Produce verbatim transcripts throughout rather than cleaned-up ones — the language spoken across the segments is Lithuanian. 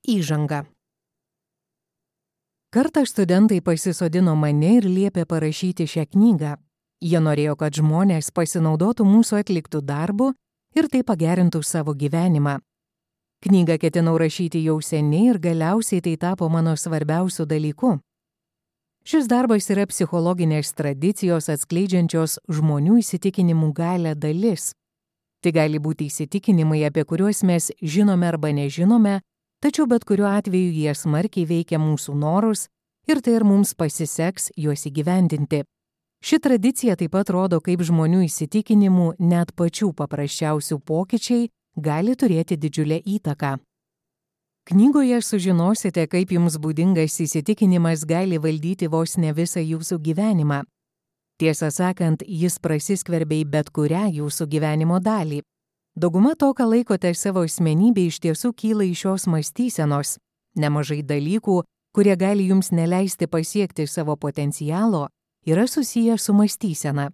Įžanga. Kartą studentai pasisodino mane ir liepė parašyti šią knygą. Jie norėjo, kad žmonės pasinaudotų mūsų atliktų darbų ir tai pagerintų savo gyvenimą. Knygą ketinau rašyti jau seniai ir galiausiai tai tapo mano svarbiausiu dalyku. Šis darbas yra psichologinės tradicijos atskleidžiančios žmonių įsitikinimų galią dalis. Tai gali būti įsitikinimai, apie kuriuos mes žinome arba nežinome, tačiau bet kuriuo atveju jie smarkiai veikia mūsų norus ir tai ir mums pasiseks juos įgyvendinti. Ši tradicija taip pat rodo, kaip žmonių įsitikinimų net pačių paprasčiausių pokyčiai gali turėti didžiulę įtaką. Knygoje sužinosite, kaip jums būdingas įsitikinimas gali valdyti vos ne visą jūsų gyvenimą. Tiesą sakant, jis prasiskverbia į bet kurią jūsų gyvenimo dalį. Dauguma to, ką laikote savo asmenybė, iš tiesų kyla iš šios mąstysenos. Nemažai dalykų, kurie gali jums neleisti pasiekti savo potencialo, yra susiję su mąstysena.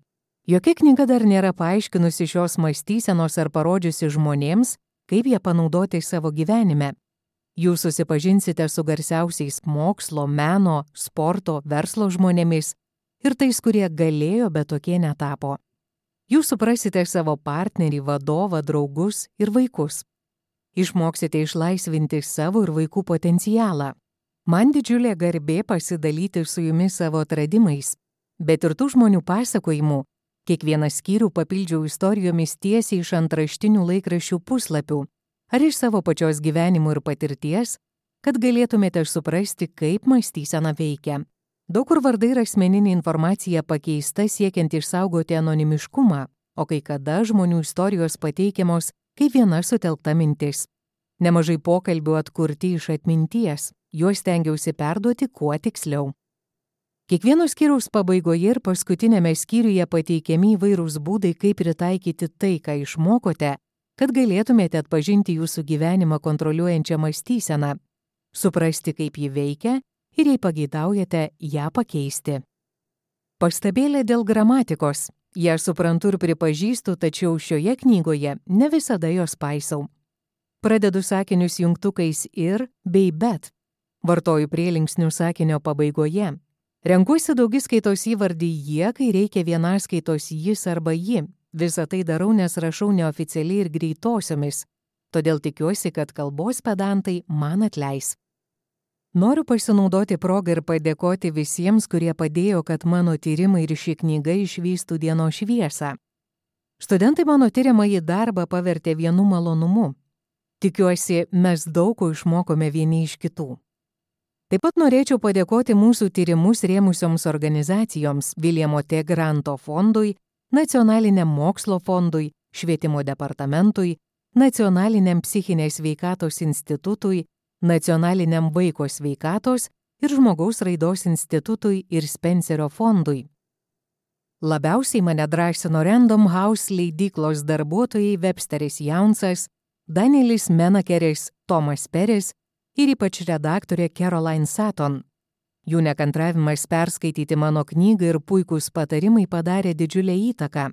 Jokia knyga dar nėra paaiškinusi šios mąstysenos ar parodžiusi žmonėms, kaip ją panaudoti savo gyvenime. Jūs susipažinsite su garsiausiais mokslo, meno, sporto, verslo žmonėmis ir tais, kurie galėjo, bet tokie netapo. Jūs suprasite savo partnerį, vadovą, draugus ir vaikus. Išmoksite išlaisvinti savo ir vaikų potencialą. Man didžiulė garbė pasidalyti su jumis savo atradimais, bet ir tų žmonių pasakojimų. Kiekvieną skyrių papildžiau istorijomis tiesiai iš antraštinių laikraščių puslapių ar iš savo pačios gyvenimų ir patirties, kad galėtumėte suprasti, kaip mąstysena veikia. Daug kur vardai ir asmeninė informacija pakeista siekiant išsaugoti anonimiškumą, o kai kada žmonių istorijos pateikiamos kaip viena sutelkta mintis. Nemažai pokalbių atkurti iš atminties, juos stengiausi perduoti kuo tiksliau. Kiekvieno skyriaus pabaigoje ir paskutinėme skyriuje pateikiami įvairūs būdai, kaip pritaikyti tai, ką išmokote, kad galėtumėte atpažinti jūsų gyvenimą kontroliuojančią mąstyseną, suprasti, kaip ji veikia ir jei pageidaujate ją pakeisti. Pastabėlė dėl gramatikos. Ją suprantu ir pripažįstu, tačiau šioje knygoje ne visada jos paisau. Pradedu sakinius jungtukais ir bei bet. Vartoju prielinksnių sakinio pabaigoje. Renkuosi daugiskaitos įvardį jie, kai reikia vienaskaitos jis arba ji. Visą tai darau, nes rašau neoficialiai ir greitosiomis. Todėl tikiuosi, kad kalbos pedantai man atleis. Noriu pasinaudoti progą ir padėkoti visiems, kurie padėjo, kad mano tyrimai ir ši knyga išvystų dienos šviesą. Studentai mano tyriamąjį darbą pavertė vienu malonumu. Tikiuosi, mes daug ko išmokome vieni iš kitų. Taip pat norėčiau padėkoti mūsų tyrimus rėmusioms organizacijoms Viljamo T. Granto fondui, Nacionaliniam mokslo fondui, Švietimo departamentui, Nacionaliniam psichinės sveikatos institutui, Nacionaliniam vaiko sveikatos ir žmogaus raidos institutui ir Spencerio fondui. Labiausiai mane drąsino Random House leidyklos darbuotojai Websteris Jaunsas, Danielis Menakeris, Tomas Peris ir ypač redaktorė Caroline Sutton. Jų nekantravimas perskaityti mano knygą ir puikūs patarimai padarė didžiulę įtaką.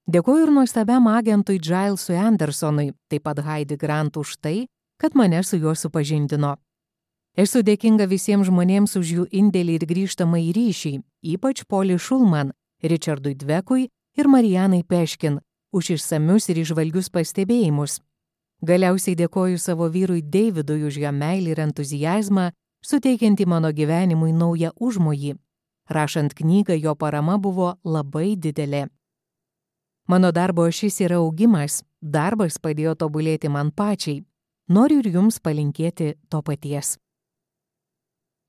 Dėkoju ir nuostabiam agentui Gilesui Andersonui, taip pat Heidi Grant už tai, kad mane su juo supažindino. Esu dėkinga visiems žmonėms už jų indėlį ir grįžtamą į ryšį, ypač Poli Šulman, Richardui Dvekui ir Marijanai Peškin už išsamius ir išvalgius pastebėjimus. Galiausiai dėkoju savo vyrui Davidui už jo meilį ir entuziazmą, suteikiantį mano gyvenimui naują užmojį. Rašant knygą, jo parama buvo labai didelė. Mano darbo ašis yra augimas, darbas padėjo tobulėti man pačiai. Noriu ir jums palinkėti to paties.